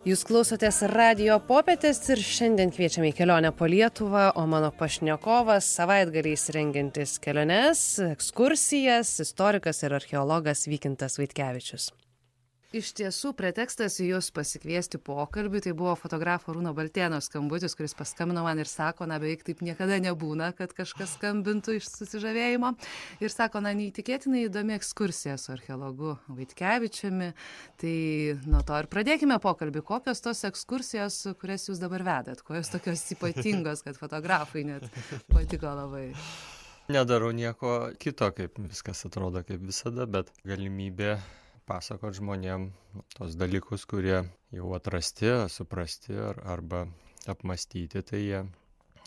Jūs klausotės Radio Popietės ir šiandien kviečiame į kelionę po Lietuvą, o mano pašnekovas savaitgaliais rengiantis keliones, ekskursijas, istorikas ir archeologas Vykintas Vaitkevičius. Iš tiesų, pretekstas jūs pasikviesti pokalbį, tai buvo fotografo Arūno Baltėno skambutis, kuris paskambino man ir sako, beveik taip niekada nebūna, kad kažkas skambintų iš susižavėjimo. Ir sako, neįtikėtinai įdomi ekskursija su archeologu Vaitkevičiumi. Tai nuo to ir pradėkime pokalbį. Kokios tos ekskursijos, kurias jūs dabar vedat? Kuo jos tokios ypatingos, kad fotografai net patiko labai? Nedarau nieko kito, kaip viskas atrodo kaip visada, bet galimybė pasakot žmonėm tos dalykus, kurie jau atrasti, suprasti arba apmastyti, tai jie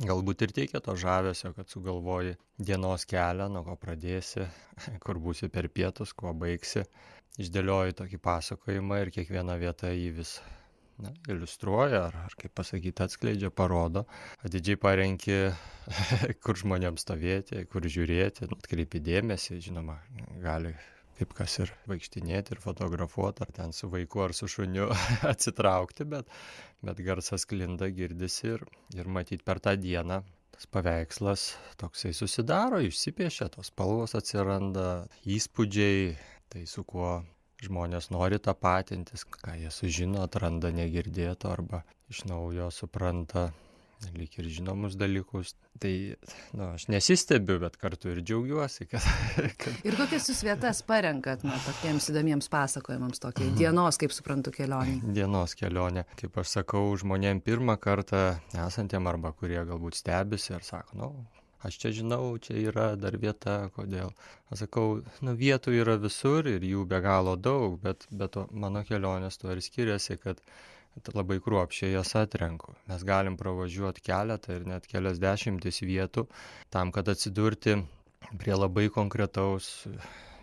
galbūt ir teikia to žavesio, kad sugalvoji dienos kelią, nuo ko pradėsi, kur būsi per pietus, kuo baigsi. Išdėlioji tokį pasakojimą ir kiekvieną vietą jį vis iliustruoja ar kaip pasakyti, atskleidžia, parodo. Atidžiai parenki, kur žmonėms stovėti, kur žiūrėti, atkreipi dėmesį, žinoma, gali kaip kas ir vaikštinėti ir fotografuoti, ar ten su vaiku ar su šuniu atsitraukti, bet garsas sklinda, girdisi ir matyti per tą dieną tas paveikslas toksai susidaro, išsipiešia, tos spalvos atsiranda, įspūdžiai, tai su kuo žmonės nori tapatintis, ką jie sužino, atranda negirdėto arba iš naujo supranta lyg ir žinomus dalykus. Tai, aš nesistebiu, bet kartu ir džiaugiuosi, kad... Ir kokias jūs vietas parenkat, tokiems įdomiems pasakojimams, tokiai dienos, kaip suprantu, kelionė? Dienos kelionė. Kaip aš sakau, žmonėm pirmą kartą esantiem arba kurie galbūt stebisi ir sako, aš čia žinau, čia yra dar vieta, kodėl. Aš sakau, vietų yra visur ir jų be galo daug, bet mano kelionės tuo ir skiriasi, kad labai kruopščiai jas atrenku. Mes galim pravažiuoti keletą ir net kelias dešimtis vietų tam, kad atsidurti prie labai konkretaus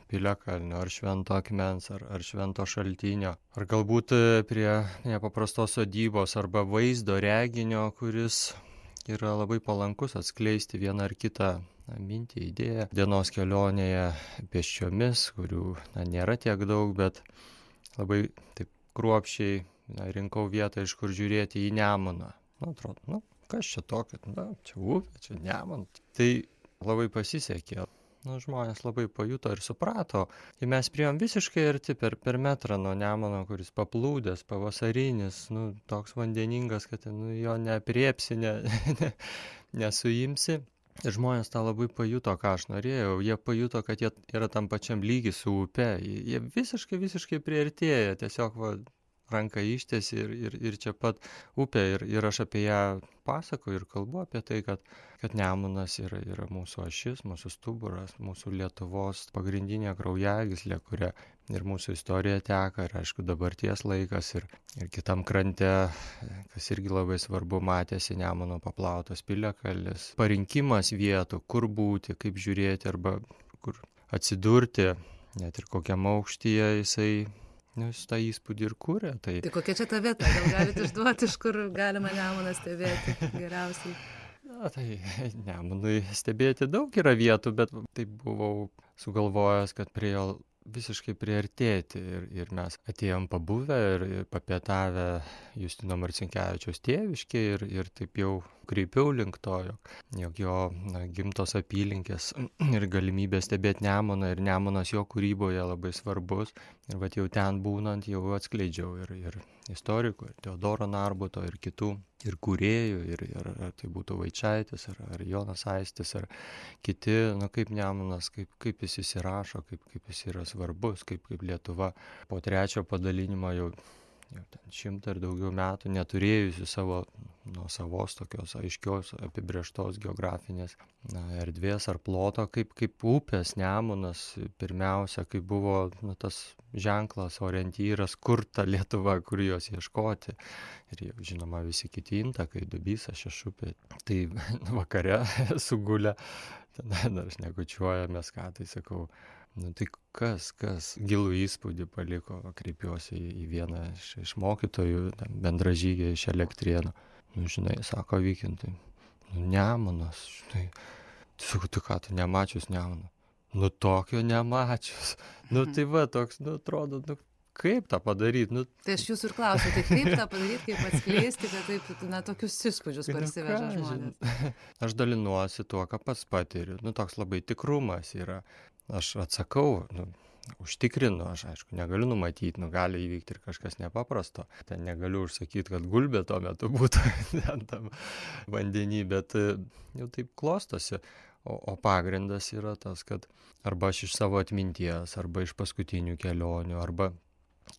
piliakalnio ar švento akmens ar švento šaltinio. Ar galbūt prie nepaprastos sodybos arba vaizdo reginio, kuris yra labai palankus atskleisti vieną ar kitą mintį, idėją. Dienos kelionėje pėsčiomis, kurių nėra tiek daug, bet labai taip kruopščiai rinkau vietą, iš kur žiūrėti į Nemuną. Atrodo, kas čia tokio, čia upė, čia Nemunas. Tai labai pasisekė. Žmonės labai pajuto ir suprato. Ir mes priėjom visiškai arti per metrą nuo Nemuno, kuris paplūdęs, pavasarinis, toks vandeningas, kad jo neapriepsi, nesuimsi. Ir žmonės tą labai pajuto, ką aš norėjau. Jie pajuto, kad jie yra tam pačiam lygi su upe. Jie visiškai priartėja, tiesiog ranką ištiesi ir čia pat upė ir aš apie ją pasakoju ir kalbu apie tai, kad Nemunas yra mūsų ašis, mūsų stuburas, mūsų Lietuvos pagrindinė kraujagyslė, kuria ir mūsų istorija teka, ir aišku dabarties laikas ir kitam krante, kas irgi labai svarbu, matėsi Nemuno paplautas piliakalnis. Parinkimas vietų, kur būti, kaip žiūrėti arba kur atsidurti, net ir kokiam aukštyje jisai tą įspūdį ir kūrė. Tai kokia čia ta vieta? Gal galite išduoti, iš kur galima Nemuną stebėti geriausiai? Tai Nemunui stebėti daug yra vietų, bet taip buvau sugalvojęs, kad prie jo visiškai priartėti ir mes atėjom pabuvę ir papietavę Justino Marcinkevičiaus tėviškėje ir taip jau kreipiau link to, jog jo gimtos apylinkės ir galimybė stebėti Nemuną ir Nemunas jo kūryboje labai svarbus. Ir jau ten būnant jau atskleidžiau ir istorikų, ir Teodoro Narbuto, ir kitų, ir kūrėjų, ir ar tai būtų Vaičaitis, ar Jonas Aistis, ar kiti, kaip Nemunas, kaip jis įsirašo, kaip jis yra svarbus, kaip Lietuva po trečio padalinimo jau 100 ir daugiau metų neturėjusi savo nuosavos tokios aiškios apibrėžtos geografinės erdvės ar ploto, kaip upės Nemunas pirmiausia, kaip buvo tas ženklas, orientyras, kur ta Lietuva, kur jos ieškoti. Ir jau, žinoma, visi kiti intakai, Dubysa, Šešupė. Tai vakare sugulę, tada dar šnekučiuojamės, ką tai sakau. Tai kas gilų įspūdį paliko, kreipiuosi į vieną iš mokytojų, bendražygę iš Elektrėnų. Žinai, sako Vykintai, Nemunas, žinai, sakau, tu ką, tu nemačius Nemuną? Tokio nemačius. Tai va, toks, atrodo, kaip tą padaryti. Nu, Tai aš jūsų ir klausiu, tai kaip tą padaryti, kaip atskleisti, kad taip, tokius įspūdžius parsiveža žmonės. Aš dalinuosi tuo, ką pats patiriu. Toks labai tikrumas yra. Aš atsakau, užtikrinu, aš aišku negaliu numatyti, gali įvykti ir kažkas nepaprasto. Ten negaliu užsakyti, kad gulbė tuo metu būtų ten tam vandenį, bet jau taip klostosi. O pagrindas yra tas, kad arba aš iš savo atminties, arba iš paskutinių kelionių, arba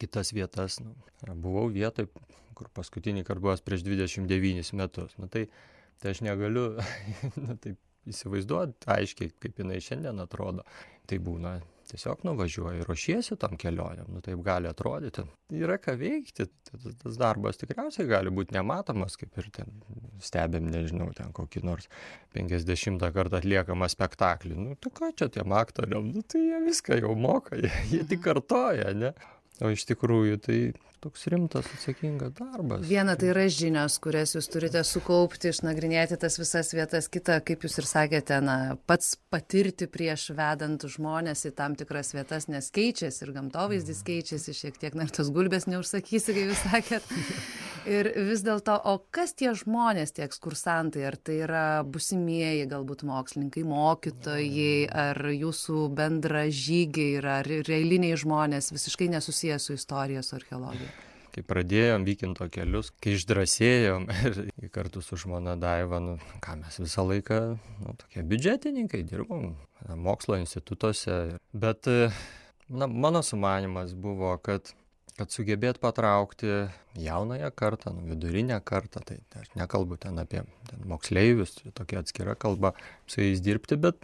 kitas vietas. Buvau vietoj, kur paskutinį kartą buvęs prieš 29 metus. Tai aš negaliu taip įsivaizduoti aiškiai, kaip jinai šiandien atrodo. Tai būna tiesiog nuvažiuoji, ruošiesi tom kelionėm, taip gali atrodyti. Yra ką veikti, tas darbas tikriausiai gali būti nematomas, kaip ir ten stebėm, nežinau, ten kokį nors 50 kartą atliekamą spektaklį. Tai ką čia tiem aktoriam, tai jie viską jau moka, jie tik kartoja, ne? O iš tikrųjų tai toks rimtas, atsakingas darbas. Viena tai yra žinios, kurias jūs turite sukaupti, išnagrinėti tas visas vietas. Kita, kaip jūs ir sakėte, pats patirti prieš vedant žmonės į tam tikras vietas, nes keičiasi ir gamtovaizdis keičiasi šiek tiek, ir tos gulbės neužsakysi, kaip jūs sakėt. Ir vis dėlto, o kas tie žmonės, tie ekskursantai, ar tai yra busimieji galbūt mokslininkai, mokytojai, ar jūsų bendražygiai, ar eiliniai žmonės visiškai nesusiję su istorija, su archeologija? Kai pradėjom Vykinto kelius, kai išdrąsėjom ir kartu su žmona Daiva, ką mes visą laiką, tokie biudžetininkai dirbom mokslo institutuose, bet mano sumanymas buvo, kad sugebėt patraukti jaunąją kartą, vidurinę kartą, tai aš nekalbu ten apie moksleivius, tokia atskira kalba, su jais dirbti, bet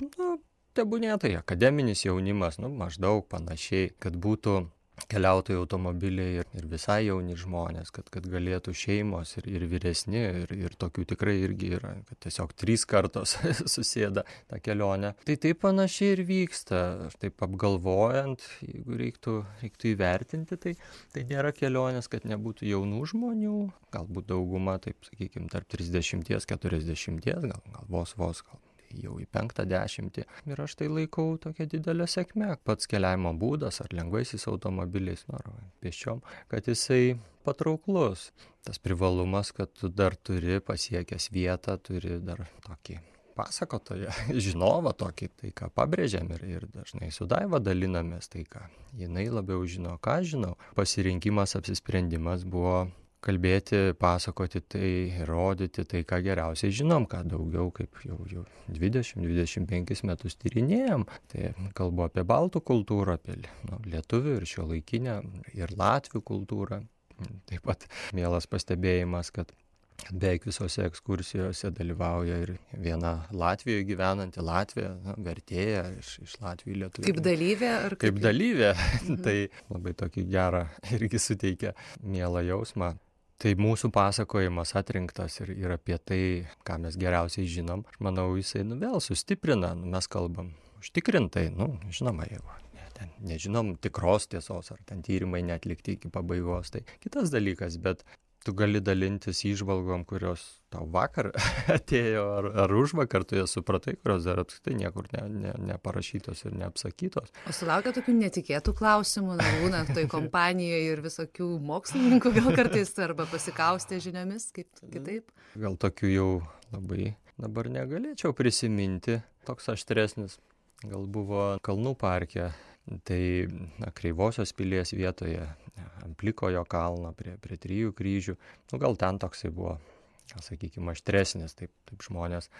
tebūnie tai akademinis jaunimas, maždaug panašiai, kad būtų keliautojų automobiliai ir visai jauni žmonės, kad galėtų šeimos ir vyresni, ir tokių tikrai irgi yra, kad tiesiog 3 kartos susėda tą kelionę. Tai taip panašiai ir vyksta, taip apgalvojant, jeigu reiktų įvertinti, tai nėra kelionės, kad nebūtų jaunų žmonių, galbūt dauguma, taip sakykime, tarp 30-40, gal vos, gal jau į 50. Ir aš tai laikau tokia didelė sėkmė. Pats keliavimo būdas, ar lengvaisiais automobiliais, ar pėsčiom, kad jisai patrauklus. Tas privalumas, kad tu dar turi pasiekęs vietą, turi dar tokį pasakotoją, žinovą tokį, tai ką pabrėžiam ir dažnai su Daiva dalinamės, tai ką jinai labiau žino, ką žinau. Pasirinkimas, apsisprendimas buvo kalbėti, pasakoti tai, rodyti tai, ką geriausiai žinom, ką daugiau kaip jau 20-25 metus tyrinėjom. Tai kalbu apie baltų kultūrą, apie lietuvių ir šiuolaikinę, ir latvių kultūrą. Taip pat mielas pastebėjimas, kad beveik visose ekskursijose dalyvauja ir viena Latvijoje gyvenanti Latvija, vertėja iš Latvijų į Lietuvių. Kaip dalyvė? Kaip dalyvė. Tai labai tokį gerą irgi suteikia mielą jausmą. Tai mūsų pasakojimas atrinktas ir apie tai, ką mes geriausiai žinom. Aš manau, jisai vėl sustiprina, mes kalbam užtikrintai, žinoma, jeigu ten nežinom tikros tiesos, ar ten tyrimai neatlikti iki pabaigos, tai kitas dalykas, bet tu gali dalintis įžvalgom, kurios tau vakar atėjo, ar užvakar tu jas supratai, kurios dar apskritai niekur neparašytos ir neapsakytos. O sulaukia tokių netikėtų klausimų, būna toj kompanijoje ir visokių mokslininkų gal kartais, arba pasikaustė žiniomis, kaip kitaip? Gal tokių jau labai dabar negalėčiau prisiminti. Toks aštresnis gal buvo Kalnų parke. Tai Kreivosios pilies vietoje, Amplikojo kalno prie 3 kryžių. Gal ten toksai buvo, sakykime, aštresnis, taip žmonės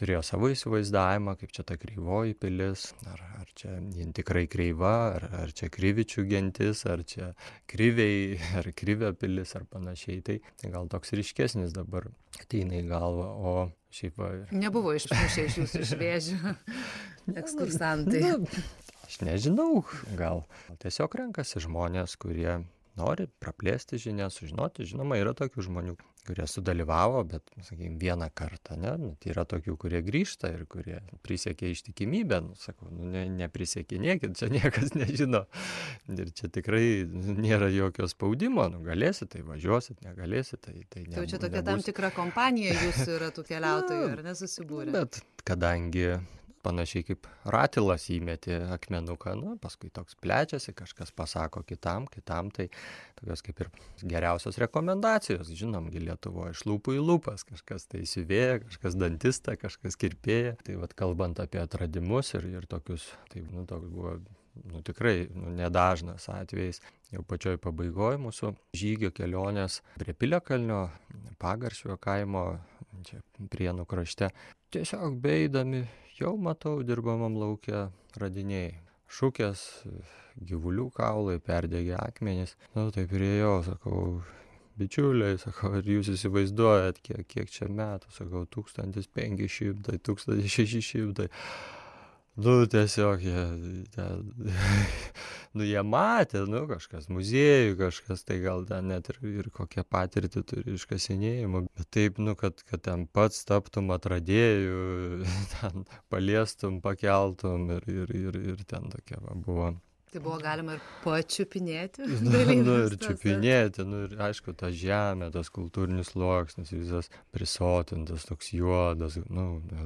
turėjo savo įsivaizdavimą, kaip čia ta Kreivoji pilis, ar čia jin tikrai kreiva, ar čia Krivičių gentis, ar čia Kriviai, ar Krivio pilis, ar panašiai. Tai gal toks ryškesnis dabar ateina į galvą, o šiaip va... Nebuvo išmušę iš jūsų iš vėžių ekskursantai. Aš nežinau, gal tiesiog renkasi žmonės, kurie nori praplėsti žinias, sužinoti. Žinoma, yra tokių žmonių, kurie sudalyvavo, bet, sakykime, vieną kartą, ne? Tai yra tokių, kurie grįžta ir kurie prisiekė ištikimybę. Sakau, neprisiekė, čia niekas nežino. Ir čia tikrai nėra jokio spaudimo. Galėsit, tai važiuosit, negalėsit, tai nebus. Tai čia tokia tam tikra kompanija jūsų yra tų keliautojų, ar nesusibūrė? Bet kadangi panašiai kaip ratilas įmeti akmenuką, nu, paskui toks plečiasi, kažkas pasako kitam, tai tokios kaip ir geriausios rekomendacijos, žinomgi Lietuvoje iš lūpų į lūpas, kažkas tai siuvėja, kažkas dantista, kažkas kirpėja. Tai vat kalbant apie atradimus ir tokius, tai toks buvo tikrai nedažnas atvejis. Jau pačioj pabaigoje mūsų žygio kelionės prie Piliakalnio, Pagaršvio kaimo, čia Prienų krašte, tiesiog beeidami jau matau dirbamam lauke radiniai. Šukės, gyvulių kaulai, perdegę akmenys. Tai priėjau, sakau, bičiuliai, sakau, ar jūs įsivaizduojat, kiek čia metų, sakau, 1500, 1600. Tiesiog jie matė, kažkas muziejų, kažkas tai gal ten net ir kokią patirtį turi iškasinėjimų, bet taip, kad ten pats taptum atradėjų, ten paliestum, pakeltum ir ten tokia buvo. Tai buvo galima ir pačiupinėti. Ir čiupinėti, ir aišku, ta žemė, tas kultūrinis sluoksnis, visas prisotintas, toks juodas,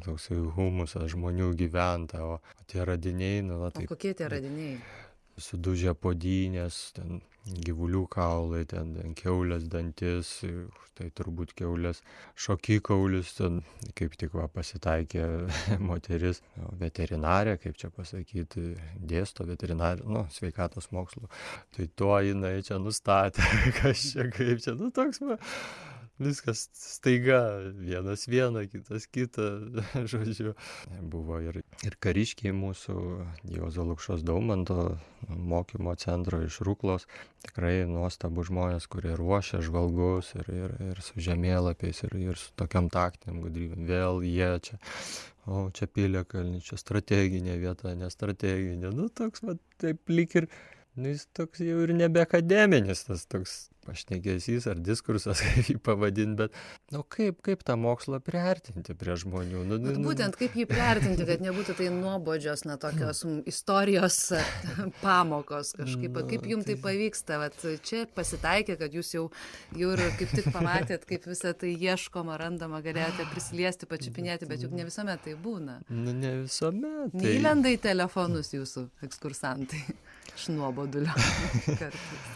toks humusas, žmonių gyventa, o tie radiniai, O kokie tie radiniai? Sudužę podynės, ten gyvulių kaulai, ten kiaulės dantis, tai turbūt kiaulės šokikaulis, ten kaip tik pasitaikė moteris, veterinarė, kaip čia pasakyti, dėsto veterinarė, sveikatos mokslų. Tai tuo jinai čia nustatė, kas čia, kaip čia, toks viskas staiga, vienas vieną, kitas kitą, žodžiu. Buvo ir kariškiai mūsų, Juozo Lukšos Daumanto mokymo centro iš Ruklos, tikrai nuostabų žmonės, kurie ruošia žvalgus ir su žemėlapiais ir su tokiam taktiniam gudrybėm. Vėl jie čia, čia Piliakalnis, čia strateginė vieta, nestrateginė. Toks, taip lyg ir, jis toks jau ir nebe akademinis, tas toks pašnekesys ar diskursas, kaip jį pavadinti, bet, kaip tą mokslą priartinti prie žmonių. Būtent kaip jį priartinti, kad nebūtų tai nuobodžios, tokios istorijos pamokos kažkaip. Kaip jums tai pavyksta? Čia pasitaikė, kad jūs jau ir kaip tik pamatėt, kaip visą tai ieškoma, randama, galėjote prisiliesti, pačiupinėti, bet juk ne visuomet tai būna. Ne visuomet. Neįlenda į telefonus jūsų ekskursantai iš nuobodulio kartais.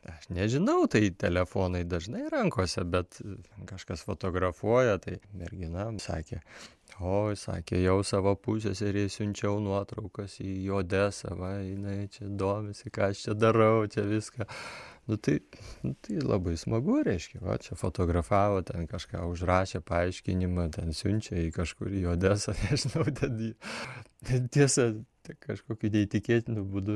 Aš nežinau, tai telefonai dažnai rankose, bet kažkas fotografuoja, tai mergina sakė, sakė, jau savo pusseserei siunčiau nuotraukas į Odesą, jinai čia domisi, ką aš čia darau, čia viską. Tai labai smagu, reiškia, čia fotografavo, ten kažką užrašė, paaiškinimą, ten siunčia į kažkur į Odesą, nežinau, ten tiesa, kažkokiu neįtikėtinu būdu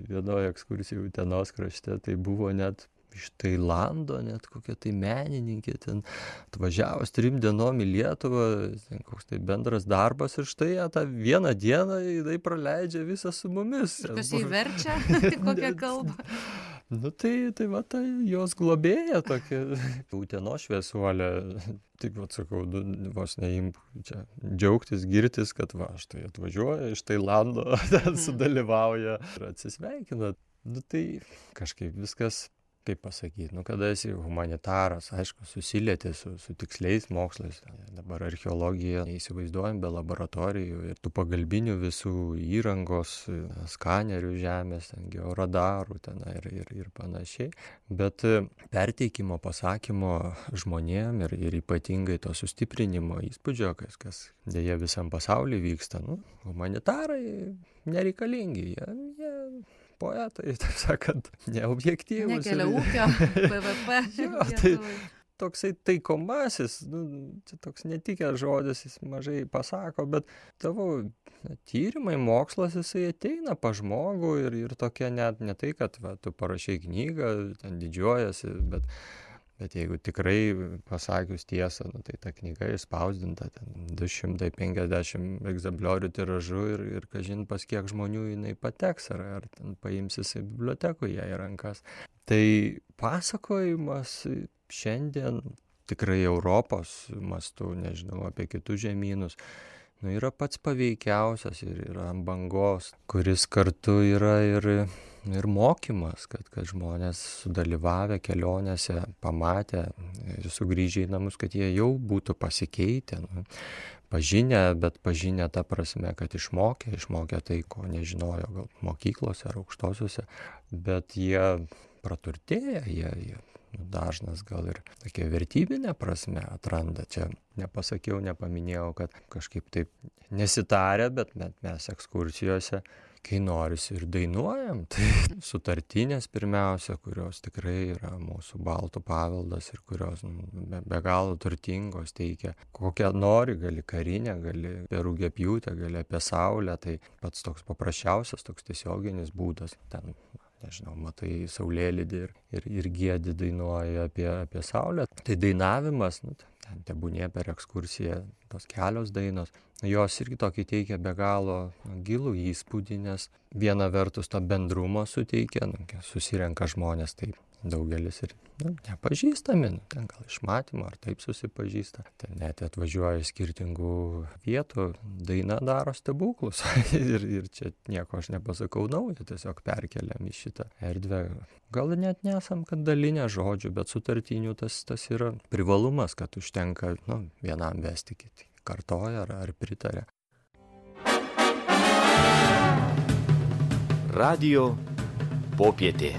vienoje ekskursijoje Utenos krašte, tai buvo net iš Tailando, net kokia tai menininkė ten atvažiavus 3 dienom į Lietuvą, koks tai bendras darbas ir štai tą vieną dieną jinai praleidžia visą su mumis. Kas jį verčia, kokią kalbą? Tai jos globėja tokia, Utenos šviesuolė, taip sakau, vos neimk čia džiaugtis, girtis, kad štai atvažiuoja iš Tailando, ten sudalyvauja ir atsisveikina. Tai kažkaip viskas, kaip pasakyti, kada esi humanitaras, aišku, susilieti su tiksliais mokslais. Dabar archeologija neįsivaizduojam be laboratorijų ir tų pagalbinių visų įrangos, skanerių žemės, georadarų ir panašiai. Bet perteikimo, pasakymo žmonėm ir ypatingai to sustiprinimo įspūdžio, kas dėja visam pasaulyje vyksta, humanitarai nereikalingi, jie poetai, taip sakant, neobjektyvūs. Nekelia ūkio, PVP. Tai toksai taikomasis, čia toks netikęs žodis, jis mažai pasako, bet tavo tyrimai, mokslas, jisai ateina pa žmogų ir tokia net ne tai, kad tu parašai knygą, ten didžiuojasi, bet jeigu tikrai pasakius tiesą, tai ta knyga išspausdinta ten 250 egzempliorių tiražu ir kažin pas kiek žmonių jinai pateks, ar ten paimsis į bibliotekų ją į rankas. Tai pasakojimas šiandien tikrai Europos mastu, nežinau, apie kitus žemynus, yra pats paveikiausias ir yra ant bangos, kuris kartu yra ir ir mokymas, kad žmonės sudalyvavę kelionėse, pamatę ir sugrįžę į namus, kad jie jau būtų pasikeitę, pažinę, bet pažinę ta prasme, kad išmokę tai, ko nežinojo gal mokyklose ar aukštosiuose, bet jie praturtėja, jie dažnas gal ir tokia vertybinė prasme atranda. Čia nepaminėjau, kad kažkaip taip nesitarę, bet mes ekskursijose, kai norisi ir dainuojam, tai sutartinės pirmiausia, kurios tikrai yra mūsų baltų paveldas ir kurios be galo turtingos, teikia kokią nori, gali karinę, gali apie rugiapjūtę, gali apie saulę, tai pats toks paprasčiausias, toks tiesioginis būdas ten. Nežinau, matai saulėlydį ir giedi dainuoja apie saulę. Tai dainavimas, ten tebūnie per ekskursiją tos kelios dainos, jos irgi tokį teikia be galo gilų įspūdį, nes viena vertus to bendrumo suteikia, susirenka žmonės, tai daugelis ir nepažįstami, ten gal iš matymo ar taip susipažįsta. Ten net atvažiuoja iš skirtingų vietų, daina daro stebuklus. ir čia nieko aš nepasakau naujo, tiesiog perkeliam į šitą erdvę. Gal net nesam, kad dalinę žodžių, bet sutartinių tas yra privalumas, kad užtenka vienam vesti, kiti kartoja ar pritarė. Radio popietė.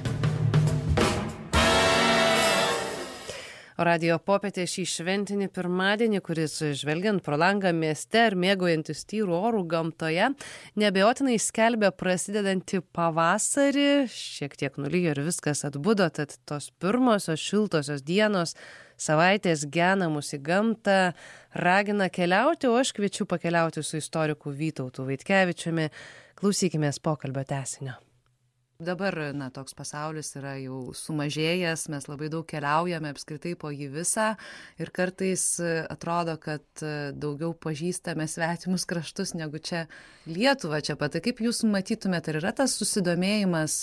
Radijo popietė šį šventinį pirmadienį, kuris žvelgiant pro langą mieste ir mėgaujantis tyrų orų gamtoje, neabejotinai skelbia prasidedantį pavasarį, šiek tiek nulijo ir viskas atbudo, tad tos pirmosios šiltosios dienos, savaitės gena mus į gamtą, ragina keliauti, o aš kviečiu pakeliauti su istoriku Vytautu Vaitkevičiumi. Klausykimės pokalbio tęsinio. Dabar, toks pasaulis yra jau sumažėjęs, mes labai daug keliaujame apskritai po jį visą ir kartais atrodo, kad daugiau pažįstame svetimus kraštus negu čia Lietuvą čia pat. Tai kaip jūs matytumėte, ar yra tas susidomėjimas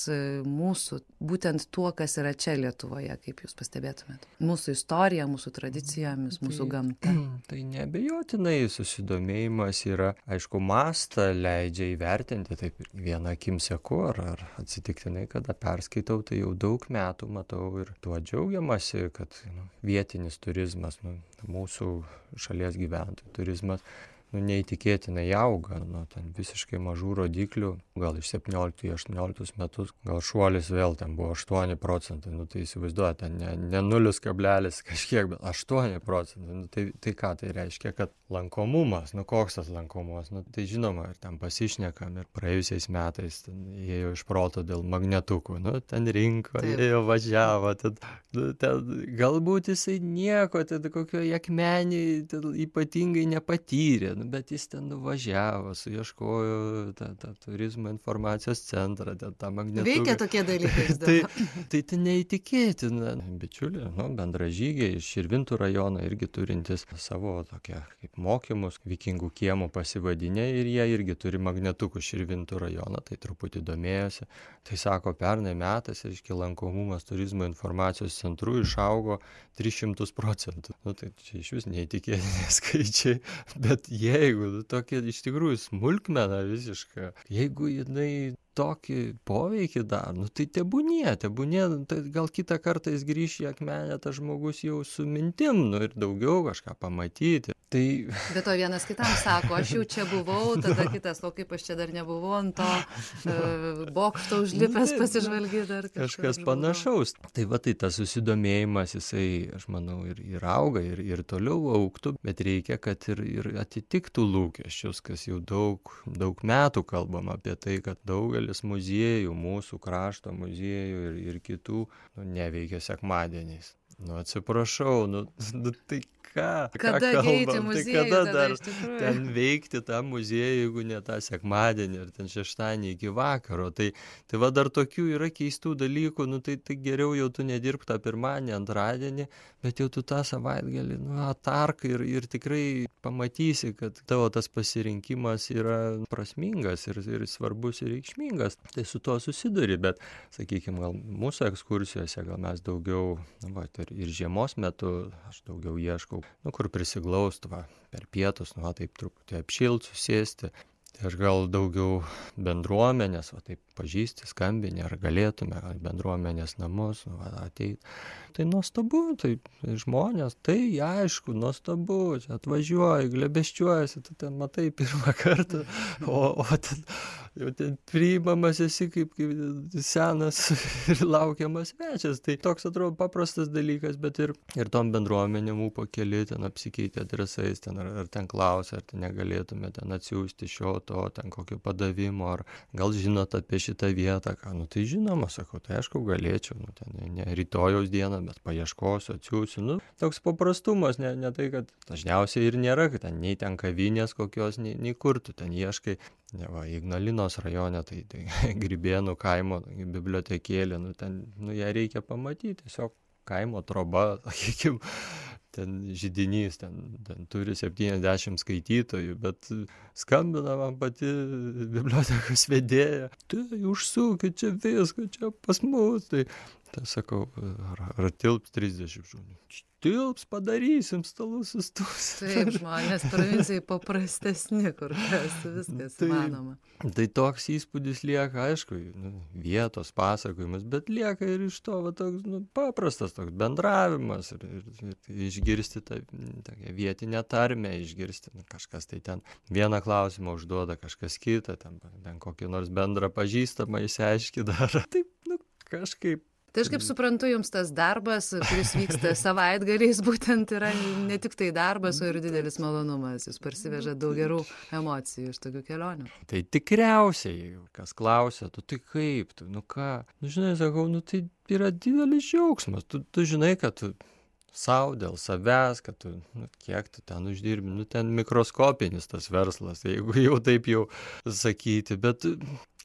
mūsų, būtent tuo, kas yra čia Lietuvoje, kaip jūs pastebėtumėt? Mūsų istorija, mūsų tradicijomis, mūsų gamta. Tai neabejotinai susidomėjimas yra, aišku, mastą leidžia įvertinti, taip viena akim seku, ar atsitiktinai, kada perskaitau, tai jau daug metų matau ir tuo džiaugiamasi, kad vietinis turizmas, mūsų šalies gyventojų turizmas, neįtikėtinai auga, ten visiškai mažų rodiklių, gal iš 17 į 18 metus, gal šuolis vėl ten buvo 8 procentai, tai įsivaizduoja, ten ne 0 kablelis kažkiek, bet 8 procentai, tai ką tai reiškia, kad lankomumas, koks tas lankomumas, tai žinoma, ir ten pasišnekam, ir praėjusiais metais ten ėjo iš proto dėl magnetukų, ten rinko, ėjo važiavo, ten galbūt jisai nieko, ten kokio akmenį ypatingai nepatyrė, bet jis ten nuvažiavo, suieškojo tą turizmo informacijos centrą, tą magnetuką. Veikia tokie dalykai. Tai neįtikėtina. Bičiuliai, bendražygiai iš Širvintų rajono irgi turintis savo tokią kaip mokymus, vikingų kiemų pasivadinę ir jie irgi turi magnetukų Širvintų rajono, tai truputį domėjosi. Tai sako, pernai metais, lankomumas turizmo informacijos centrų išaugo 300%. Tai čia iš vis neįtikėtini skaičiai, bet jeigu tokia iš tikrųjų smulkmena visiška, jeigu jinai tokį poveikį dar, tai tebūnie, tai gal kitą kartą jis grįš į akmenę, tas žmogus jau su mintim, ir daugiau kažką pamatyti. Bet to vienas kitam sako, aš jau čia buvau, tada kitas, o kaip aš čia dar nebuvau ant to bokšto užlipęs pasižvalgyti dar kažkas panašaus. Tai tas susidomėjimas, jisai, aš manau, ir auga, ir toliau augtų, bet reikia, kad ir atitiktų lūkesčius, kas jau daug metų kalbam apie tai, kad daugelis muziejų, mūsų krašto muziejų ir kitų, neveikia sekmadieniais. Atsiprašau, tai kada eiti muziejų, kada dar ten veikti tą muziejų, jeigu ne tą sekmadienį ar ten šeštadienį iki vakaro. Tai dar tokių yra keistų dalykų, tai geriau jau tu nedirbk tą pirmadienį, antradienį, bet jau tu tą savaitgalį atark ir tikrai pamatysi, kad tavo tas pasirinkimas yra prasmingas ir svarbus ir reikšmingas. Tai su tuo susiduri, bet, sakykime, gal mūsų ekskursijose, gal mes daugiau, ir žiemos metu aš daugiau ieškau, kur prisiglaust per pietus, taip truputį apšilt, susėsti. Tai aš gal daugiau bendruomenės, o taip pažįsti, skambini, ar galėtume bendruomenės namus ateiti. Tai nuostabu, tai žmonės, tai aišku, nuostabu, čia atvažiuoji, glebeščiuojasi, tu ten matai pirmą kartą, o ten, jau ten priimamas esi kaip senas ir laukiamas svečias. Tai toks atrodo paprastas dalykas, bet ir tom bendruomenėm ūpo keli, ten apsikeitė adresais, ten, ar ten klausia, ar ten negalėtume ten atsiųsti šio to, ten kokio padavimo, ar gal žinot apie šitą vietą, ką, nu tai žinoma, sakau, tai aišku galėčiau, nu ten ne rytojaus dieną, bet paieškosiu, atsiųsiu, nu toks paprastumas, ne tai, kad dažniausiai ir nėra, kad ten nei ten kavinės kokios, nei kur tu ten ieškai. Ne, va, Ignalinos rajone, tai Grybėnų kaimo bibliotekėlė, nu ten, nu ją reikia pamatyti, tiesiog kaimo troba, sakykim, ten židinys, ten turi 70 skaitytojų, bet skambina man pati bibliotekos vedėja, tai užsukit čia viską, čia pas mus, tai sakau, ar tilps 30 žmonių? Tilps, padarysim stalus sustus. Taip, žmonės provincijai paprastesni, kur viskas įmanoma. Tai toks įspūdis lieka, aišku, vietos pasakojimas, bet lieka ir iš to toks paprastas toks bendravimas ir išgirsti tą vietinę tarmę, išgirsti kažkas tai ten vieną klausimą užduoda, kažkas kitą, ten kokį nors bendrą pažįstamą išsiaiškina dar. Taip, kažkaip. Tai aš kaip suprantu, jums tas darbas, kuris vyksta savaitgaliais, būtent yra ne tik tai darbas, o ir didelis malonumas. Jūs parsivežat daug gerų emocijų iš tokių kelionių. Tai tikriausiai, kas klausia, tu tai kaip, tu, ką, žinai, sakau, tai yra didelis džiaugsmas. Tu žinai, kad tu sau dėl savęs, kad tu, kiek tu ten uždirbi, ten mikroskopinis tas verslas, jeigu jau taip jau sakyti, bet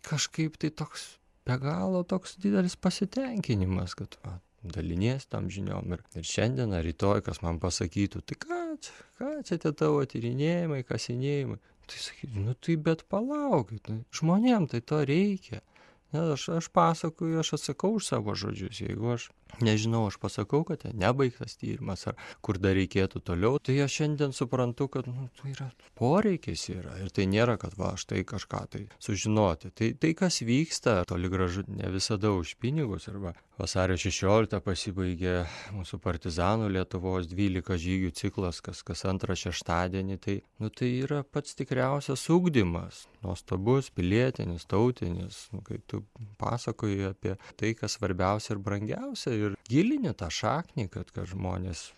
kažkaip tai toks be galo toks didelis pasitenkinimas, kad dalinies tam žiniom ir šiandien ar rytoj, kas man pasakytų, tai ką čia tie tavo tyrinėjimai, kasinėjimai, tai sakytų, tai bet palaukit, žmonėm tai to reikia. Aš pasakoju, aš atsakau už savo žodžius, jeigu aš nežinau, aš pasakau, kad nebaigtas tyrimas ar kur dar reikėtų toliau, tai aš šiandien suprantu, kad tai yra poreikis yra ir tai nėra, kad aš tai kažką tai sužinoti. Tai kas vyksta, toli gražu ne visada už pinigus. Arba vasario 16 pasibaigė mūsų partizanų Lietuvos 12 žygių ciklas, kas antrą šeštadienį, tai yra pats tikriausias ugdymas, nuostabus, pilietinis, tautinis, kai tu pasakoji apie tai, kas svarbiausia ir brangiausia, ir gilini tą šaknį, kad žmonės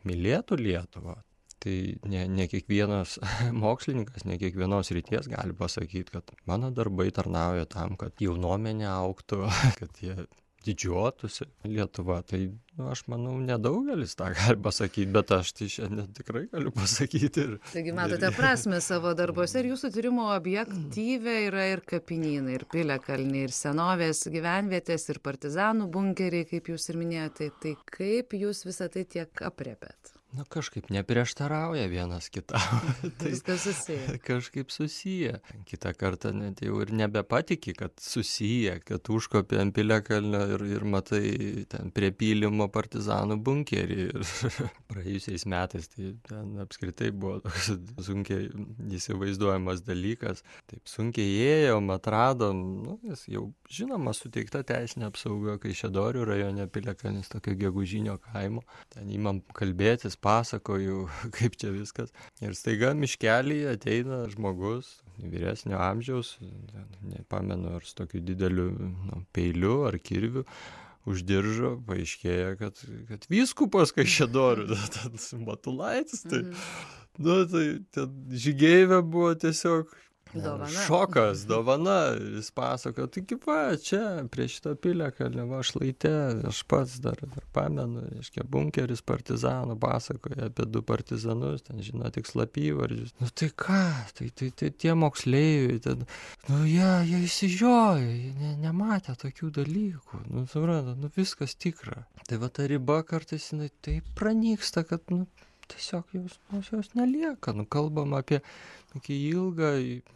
mylėtų Lietuvą. Tai ne kiekvienas mokslininkas, ne kiekvienos ryties gali pasakyti, kad mano darbai tarnauja tam, kad jaunuomenė augtų, kad jie didžiuotųsi Lietuva. Tai aš manau, nedaugelis tą gali pasakyti, bet aš tai šiandien tikrai galiu pasakyti. Taigi matote prasmę savo darbuose ir jūsų tyrimo objektyve yra ir kapinynai, ir piliakalniai, ir senovės gyvenvietės, ir partizanų bunkeriai, kaip jūs ir minėjote. Tai kaip jūs visą tai tiek aprėpėt? Kažkaip neprieštarauja vienas kitam. Viskas susiję. Kažkaip susiję. Kitą kartą net jau ir nebepatiki, kad susiję, kad užkopė ant piliakalnio ir matai ten prie pylimo partizanų bunkerį. Ir praėjusiais metais tai ten apskritai buvo toks sunkiai įsivaizduojamas dalykas. Taip sunkiai ėjom, atradom, jis jau žinoma suteikta teisinė apsauga Kaišiadorių rajone piliakalnis, tokio gegužinio kaimo. Ten įmam kalbėtis, pasakoju, kaip čia viskas. Ir staiga miškelyje ateina žmogus vyresnio amžiaus, nepamenu, ar su tokiu dideliu peiliu ar kirviu, už diržo paaiškėja, kad vyskupas Kaišiadorių, Matulaitis, tai ten žygeivė buvo tiesiog šokas, dovana. Jis pasakojo, taigi čia prie šito piliakalnio šlaite, aš pats dar pamenu, bunkeris partizanų, pasakoja apie 2 partizanus, ten žino tik slapyvardžius. Tai ką, tai tie moksleiviai, jie įsižiojo, jie nematė tokių dalykų, supranta, viskas tikra. Tai ta riba kartais jinai taip pranyksta, kad tiesiog jos nelieka. Kalbam apie tokį ilgą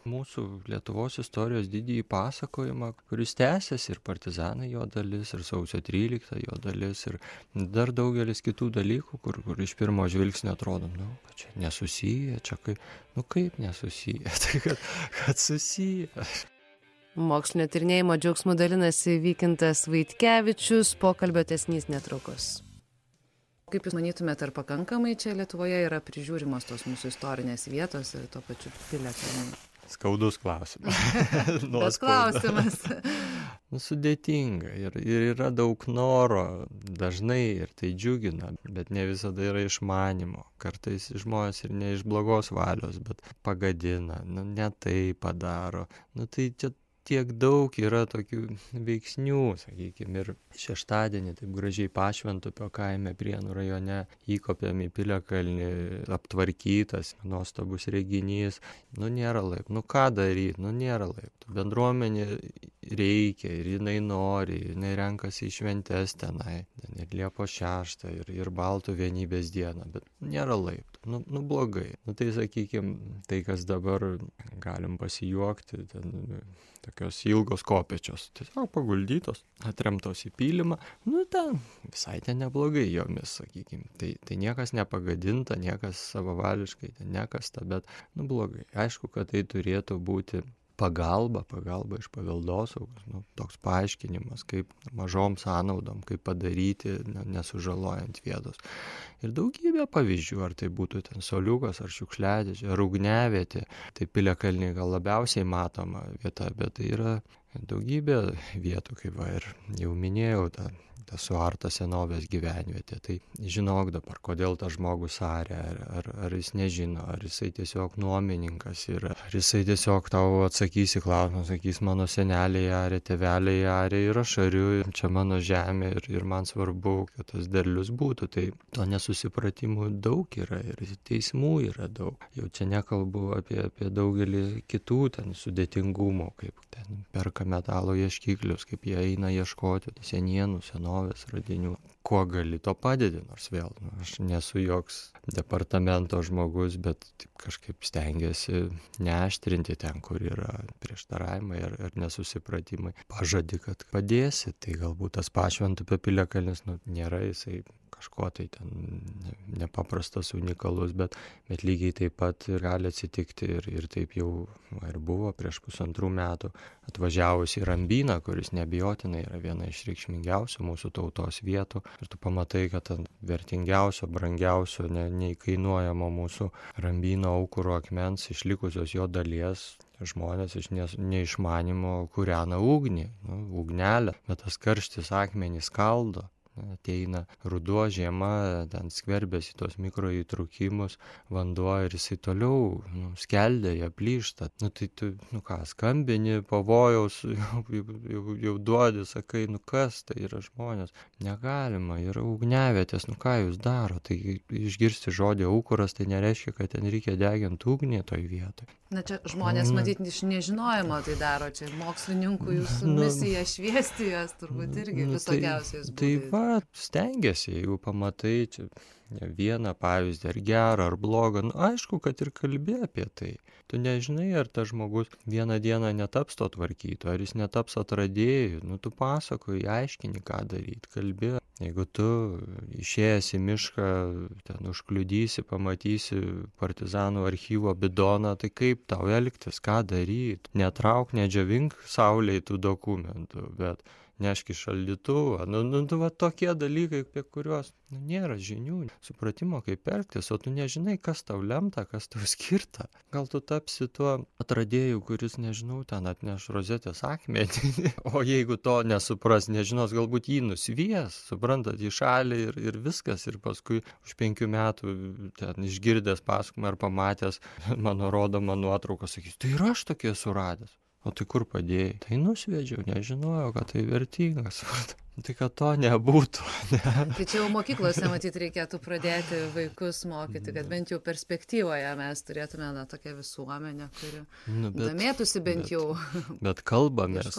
mūsų Lietuvos istorijos didįjį pasakojimą, kuris tęsiasi, ir partizanai jo dalis, ir sausio 13 jo dalis, ir dar daugelis kitų dalykų, kur iš pirmo žvilgsnio atrodo, kad čia nesusiję, čia kaip nesusiję, tai kad susiję. Mokslinio tyrinėjimo džiaugsmu dalinasi Vykintas Vaitkevičius, pokalbio tęsinys netrukus. Kaip Jūs manytumėte, ar pakankamai čia Lietuvoje yra prižiūrimos tos mūsų istorinės vietos ir tuo pačiu piliakalniai? Skaudus klausimas. Bet klausimas. Sudėtinga ir yra daug noro dažnai ir tai džiugina, bet ne visada yra išmanimo. Kartais žmonės ir ne iš blogos valios, bet pagadina, ne tai padaro. Tai čia tiek daug yra tokių veiksnių, sakykime, ir šeštadienį taip gražiai Pašventupio kaime Prienų rajone įkopėm į piliakalnį, aptvarkytas, nuostabus reginys. Nėra laiptų. Ką daryti? Nėra laiptų. Bendruomenė reikia ir jinai nori, jinai renkasi į šventes tenai. Ir Liepos 6 ir Baltų vienybės dieną, bet nėra laiptų. Blogai. Tai sakykime, tai kas dabar galim pasijuokti, tokios ilgos kopėčios, tiesiog paguldytos, atremtos į pylimą, ten visai ten neblogai jomis, sakykime. Tai niekas nepagadinta, niekas savavališkai nekasta, bet blogai. Aišku, kad tai turėtų būti pagalba iš paveldosaugos, toks paaiškinimas, kaip mažom sąnaudom, kaip padaryti, nesužalojant vietos. Ir daugybė pavyzdžių, ar tai būtų ten soliukas, ar šiukšliadėžė, ar ugniavietė, tai piliakalniai gal labiausiai matoma vieta, bet tai yra daugybė vietų, kaip ir jau minėjau, ta suarta senovės gyvenvietė. Tai žinok dabar, kodėl tas žmogus arė, ar jis nežino, ar jisai tiesiog nuomininkas yra, ar jisai tiesiog tau atsakys į klausimą, sakys, mano seneliai arė, tėveliai arė ir aš ariu, čia mano žemė ir man svarbu, kad tas derlius būtų. Tai to nesusipratimų daug yra ir teismų yra daug. Jau čia nekalbu apie daugelį kitų ten sudėtingumų, kaip ten perka metalo ieškiklius, kaip jie eina ieškoti senienų, senovės radinių. Kuo gali, to padedi, nors vėl, aš nesu joks departamento žmogus, bet taip kažkaip stengiasi neaštrinti ten, kur yra prieštaravimai ar nesusipratimai. Pažadi, kad padėsi, tai galbūt tas Pašventupio piliakalnis, nėra jisai kažko tai ten nepaprastas, unikalus, bet lygiai taip pat gali atsitikti ir taip jau ir buvo prieš 1,5 metų atvažiavus į Rambyną, kuris neabejotinai yra viena iš reikšmingiausių mūsų tautos vietų. Ir tu pamatai, kad vertingiausio, brangiausio, neįkainuojamo mūsų Rambyno aukuro akmens išlikusios jo dalies žmonės iš neišmanimo kūrena ugnį, ugnelę, bet tas karštis akmenį skaldo. Ateina ruduo, žiema, ten skverbiasi tos mikroįtrūkimus, vanduo ir jisai toliau skeldėja, plyšta. Tai tu, skambini, pavojaus, jau duodi, sakai, kas tai yra žmonės. Negalima, yra ugniavietės, ką jūs daro. Tai išgirsti žodį aukuras, tai nereiškia, kad ten reikia deginti ugnį toj vietoj. Čia žmonės matyti iš nežinojimo tai daro, čia mokslininkų jūsų misija šviesti jas turbūt irgi visokiausiais būdais. Tai stengiasi, jeigu pamatai čia vieną pavyzdį, ar gerą, ar blogą, aišku, kad ir kalbė apie tai. Tu nežinai, ar tas žmogus vieną dieną netaps to tvarkyto, ar jis netaps atradėjų, tu pasakoji, aiškini, ką daryti, kalbė. Jeigu tu išėjęs į mišką, ten užkliudysi, pamatysi partizanų archyvo bidoną, tai kaip tau elgtis, ką daryti? Netrauk, nedžiavink saulėj tų dokumentų, bet neški šaldytuvą. Tokie dalykai, apie kuriuos nėra žinių, supratimo, kaip elgtis, o tu nežinai, kas tau lemta, kas tau skirta. Gal tu tapsi tuo atradėju, kuris, nežinau, ten atneš rozetės akmenį, o jeigu to nesupras, nežinos, galbūt jį nusvies, suprantat, į šalį ir viskas, ir paskui už 5 metų ten išgirdęs pasakojimą ar pamatęs mano rodomą nuotrauką, sakys, tai ir aš tokie suradęs. O tai kur padėjai? Tai nusvedžiau, nežinojau, kad tai vertingas. Tai kad to nebūtų. Ne? Tai čia jau mokyklose, matyt, reikėtų pradėti vaikus mokyti, kad bent jau perspektyvoje mes turėtume tokią visuomenę, kuri domėtųsi bent jau. Bet kalbamės,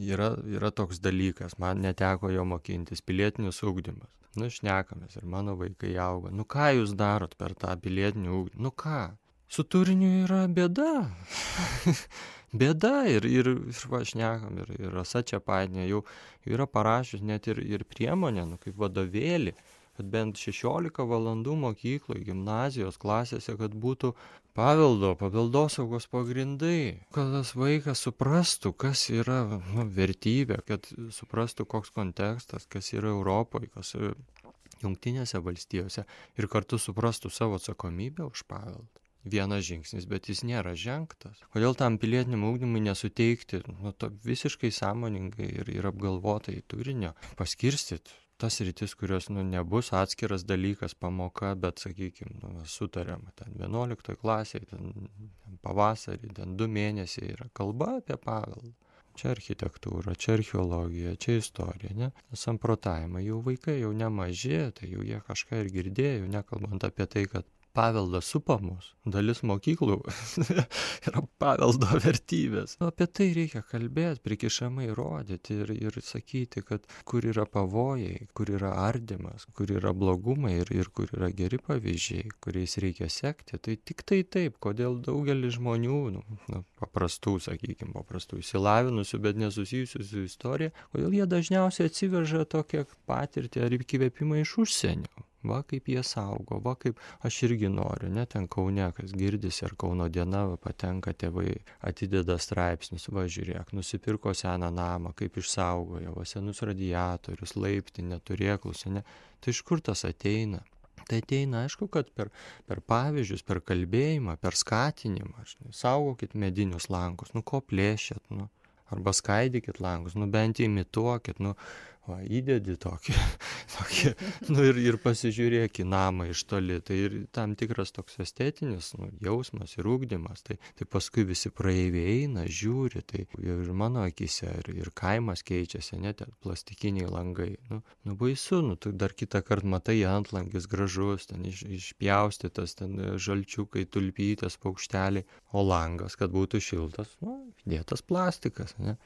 yra toks dalykas, man neteko jo mokintis, pilietinis ugdymas. Šnekamės ir mano vaikai auga. Ką jūs darot per tą pilietinį ugdymą? Ką? Su turiniu yra bėda. Bėda ir šnekam, ir Rasa Čepaitienė jau yra parašius net ir priemonę, kaip vadovėlį, kad bent 16 valandų mokykloje, gimnazijos klasėse, kad būtų paveldosaugos pagrindai, kad tas vaikas suprastų, kas yra vertybė, kad suprastų, koks kontekstas, kas yra Europoje, kas yra Jungtinėse valstijose ir kartu suprastų savo atsakomybę už paveldą. Vienas žingsnis, bet jis nėra žengtas. Kodėl tam pilietiniam ugdymui nesuteikti visiškai sąmoningai ir apgalvotai turinio, paskirstyti tas rytis, kurios nebus atskiras dalykas, pamoka, bet, sakykime, sutariama, ten 11 klasėje, ten pavasarį, ten 2 mėnesiai yra kalba apie paveldą. Čia architektūra, čia archeologija, čia istorija, ne? Samprotavimai, jau vaikai jau nemaži, tai jau jie kažką ir girdėjo, nekalbant apie tai, kad paveldas supa mus, dalis mokyklų yra paveldo vertybės. Apie tai reikia kalbėti, prikišamai rodyti ir sakyti, kad kur yra pavojai, kur yra ardymas, kur yra blogumai ir kur yra geri pavyzdžiai, kuriais reikia sekti. Tai tik tai taip, kodėl daugelis žmonių, paprastų išsilavinusių, bet nesusijusių su istorija, kodėl jie dažniausiai atsiveža tokią patirtį ar įkvėpimą iš užsienio. Va kaip jie saugo, va kaip aš irgi noriu, ne, ten Kaune, kas girdisi, ar Kauno diena, patenka tėvai, atideda straipsnius, va žiūrėk, nusipirko seną namą, kaip išsaugojo, va senus radiatorius, laiptinę, turėklus, ne, tai iš kur tas ateina? Tai ateina, aišku, kad per pavyzdžius, per kalbėjimą, per skatinimą, saugokit medinius langus, ko plėšėt, arba skaidykit langus, bent imituokit, įdedi tokį ir pasižiūrėk į namą iš toli. Tai ir tam tikras toks estetinis jausmas ir ugdymas. Tai paskui visi praeiviai eina, žiūri, tai ir mano akise, ir kaimas keičiasi, net plastikiniai langai. Baisu, tu dar kitą kartą matai antlangis gražus, ten išpjaustytas, ten žalčiukai, tulpytės, paukšteliai, o langas, kad būtų šiltas, dėtas plastikas, ne?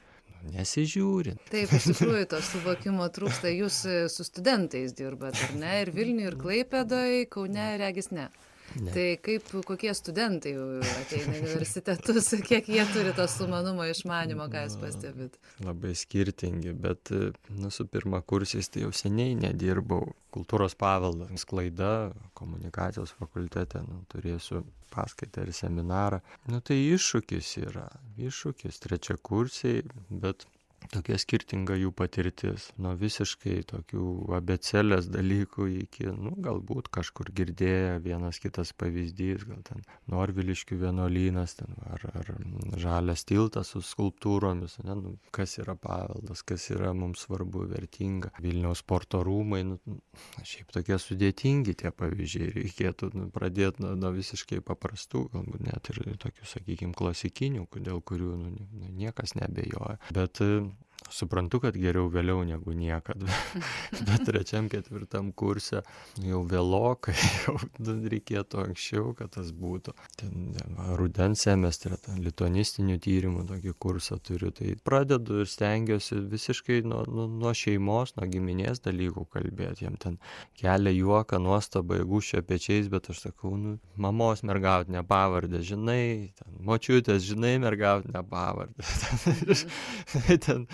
Nesižiūrint. Taip, iš tikrųjų to suvokimo trūksta. Jūs su studentais dirbat, ar ne? Ir Vilniuje, ir Klaipėdoje, Kaune, regis ne. Ne. Tai kokie studentai ateina į universitetus, kiek jie turi to sumanumo, išmanimo, ką jūs pastebit? Labai skirtingi, bet su pirmakursiais tai jau seniai nedirbau. Kultūros paveldas, sklaida, komunikacijos fakultete, turėsiu paskaitą ir seminarą. Tai iššūkis yra, trečiakursiai, bet tokia skirtinga jų patirtis, nuo visiškai tokių abėcėlės dalykų iki, galbūt kažkur girdėję vienas kitas pavyzdys, gal ten Norviliškių vienuolynas, ar žalias tiltas su skulptūromis, kas yra paveldas, kas yra mums svarbu, vertinga. Vilniaus sporto rūmai, šiaip tokie sudėtingi tie pavyzdžiai, reikėtų pradėti nuo visiškai paprastų, galbūt net ir tokių, sakykime, klasikinių, dėl kurių niekas neabejoja. Bet suprantu, kad geriau vėliau negu niekad, bet 3-4 kurse jau vėlokai, jau reikėtų anksčiau, kad tas būtų. Rudens semestre, lituanistinių tyrimų tokį kursą turiu, tai pradedu ir stengiuosi visiškai nuo šeimos, nuo giminės dalykų kalbėti. Jiem ten kelia juoką, nuostabą, gūščia pečiais, bet aš sakau, mamos mergautinę pavardę, žinai, močiutės, žinai, mergautinę pavardę. Ten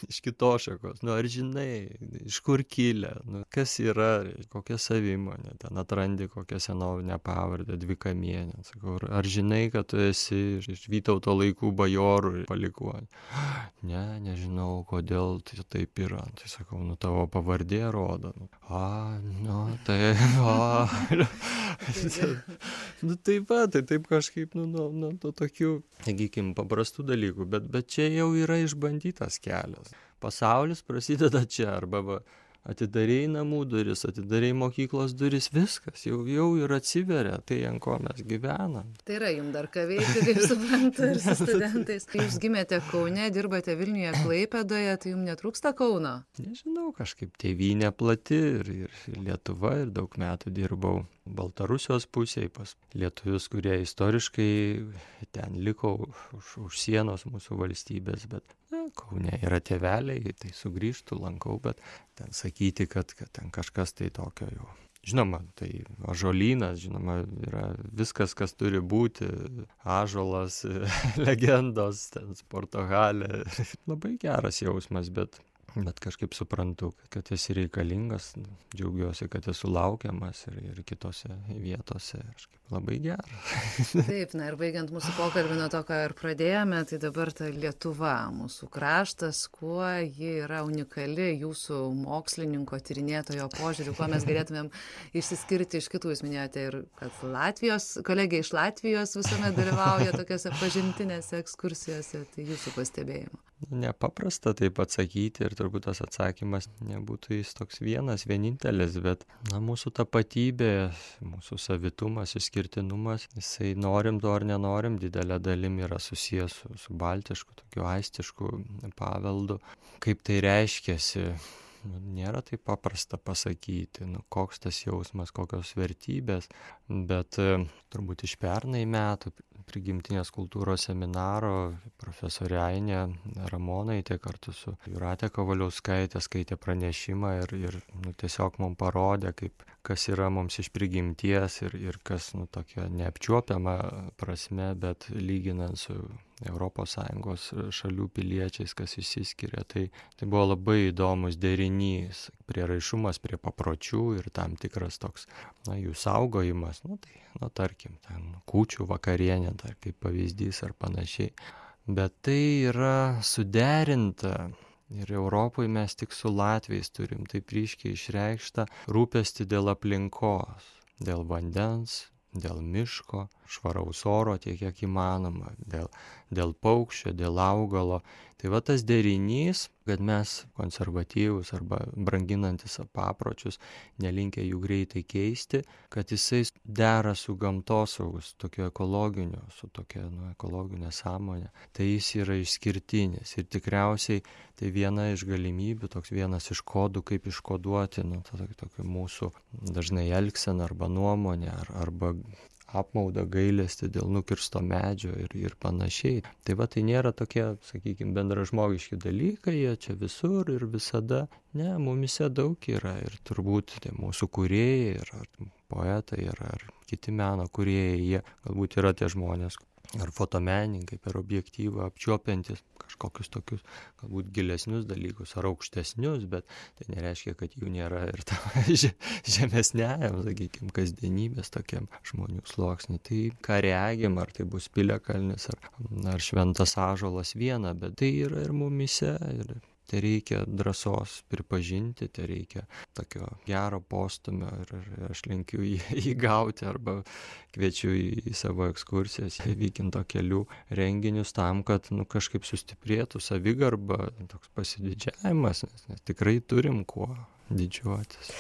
iš kitos šakos, ar žinai, iš kur kilę, kas yra, kokia savimonė, ten atrandi kokią senovinę pavardę, Dvikamienę, sakau, ar žinai, kad tu esi iš Vytauto laikų bajorų palikuonį? Ne, nežinau, kodėl tai taip yra, tai sakau, tavo pavardė rodo, tai taip kažkaip, nuo tokių, sakykim, paprastų dalykų, bet čia jau yra išbandytas kelias. Pasaulis prasideda čia, arba atidarei namų duris, atidarei mokyklos duris, viskas, jau ir atsiveria tai, ant ko mes gyvenam. Tai yra jums dar ką veikti, kaip suprantu, ir su studentais. Jūs gimėte Kaune, dirbate Vilniuje, Klaipėdoje, tai jums netrūksta Kauno? Nežinau, kažkaip tėvynė plati ir Lietuva, ir daug metų dirbau Baltarusijos pusėje pas lietuvius, kurie istoriškai ten liko už sienos mūsų valstybės, bet Kaune yra tėveliai, tai sugrįžtu, lankau, bet ten sakyti, kad ten kažkas tai tokio jau. Žinoma, tai ąžuolynas, žinoma, yra viskas, kas turi būti, ąžuolas, legendos, ten sporto halė. Labai geras jausmas, bet kažkaip suprantu, kad esi reikalingas, džiaugiuosi, kad esu laukiamas ir kitose vietose. Kažkaip labai gera. Taip, na ir baigiant mūsų pokalbį nuo to, ką ir pradėjome, tai dabar ta Lietuva, mūsų kraštas, kuo ji yra unikali jūsų mokslininko, tyrinėtojo požiūriu, kuo mes galėtumėm išsiskirti iš kitų. Jūs minėjote ir, kad kolegė iš Latvijos visuomet dalyvauja tokiose pažintinėse ekskursijose, tai jūsų pastebėjimo. Nepaprasta taip atsakyti ir turbūt tas atsakymas nebūtų jis toks vienintelis, bet mūsų tapatybė, mūsų savitumas, išskirtinumas, jisai norim to ar nenorim, didelė dalim yra susijęs su baltišku, tokiu aistišku paveldu. Kaip tai reiškiasi, nėra taip paprasta pasakyti, koks tas jausmas, kokios vertybės, bet turbūt iš pernai metų prigimtinės kultūros seminaro profesorė Ainė Ramonaitė kartu su Jūrate Kavaliauskaitė skaitė pranešimą ir tiesiog mums parodė, kas yra mums iš prigimties ir kas tokia neapčiuopiama prasme, bet lyginant su ES šalių piliečiais, kas išsiskiria. Tai buvo labai įdomus derinys, prieraišumas prie papročių ir tam tikras toks, jų saugojimas, tarkim, ten kūčių vakarienė, kaip pavyzdys ar panašiai. Bet tai yra suderinta ir Europoje mes tik su latviais turim taip ryškiai išreikštą rūpestį dėl aplinkos, dėl vandens, dėl miško, švaraus oro tiek, kiek įmanoma, dėl paukščio, dėl augalo. Tai va tas derinys, kad mes konservatyvūs arba branginantis papročius, nelinkę jų greitai keisti, kad jisai dera su gamtosaugus, tokiu ekologiniu, su tokia ekologinė sąmonė. Tai jis yra išskirtinis ir tikriausiai tai viena iš galimybių, toks vienas iš kodų, kaip iškoduoti tokia mūsų dažnai elgsena arba nuomonė arba apmaudą, gailestį dėl nukirsto medžio ir panašiai. Tai va, tai nėra tokie, sakykime, bendražmogiški dalykai, jie čia visur ir visada. Ne, mumise daug yra ir turbūt tai mūsų kūrėjai, ar poetai, ar kiti meno kūrėjai, jie galbūt yra tie žmonės, ar fotomenininkai per objektyvą apčiuopiantis kažkokius tokius galbūt gilesnius dalykus ar aukštesnius, bet tai nereiškia, kad jų nėra ir žemesniajam, sakykime, kasdienybės tokiam žmonių sluoksniui. Tai ką regim, ar tai bus Piliakalnis, ar šventas ąžuolas viena, bet tai yra ir mumise ir tai reikia drąsos pripažinti, tai reikia tokio gero postumio ir aš linkiu jį gauti arba kviečiu į savo ekskursijas, į Vykinto kelių renginius tam, kad kažkaip sustiprėtų savigarba, toks pasididžiavimas, nes tikrai turim kuo didžiuotis.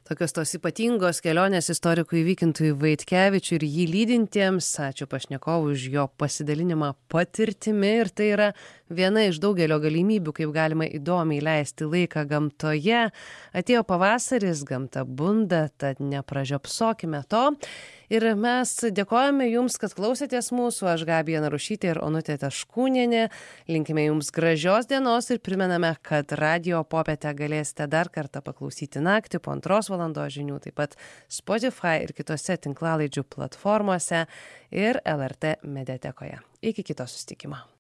Tokios tos ypatingos kelionės istorikui Vykintui Vaitkevičiui ir jį lydintiems. Ačiū pašnekovui už jo pasidalinimą patirtimi ir tai yra viena iš daugelio galimybių, kaip galima įdomiai leisti laiką gamtoje. Atėjo pavasaris, gamta bunda, tad nepražiopsokime to. Ir mes dėkojame Jums, kad klausėtės mūsų. Aš Gabija Narušytė ir Onutė Taškūnienė. Linkime Jums gražios dienos ir primename, kad radijo popietę galėsite dar kartą paklausyti naktį po 2 valandos žinių, taip pat Spotify ir kitose tinklalaidžių platformose ir LRT mediatekoje. Iki kito susitikimo.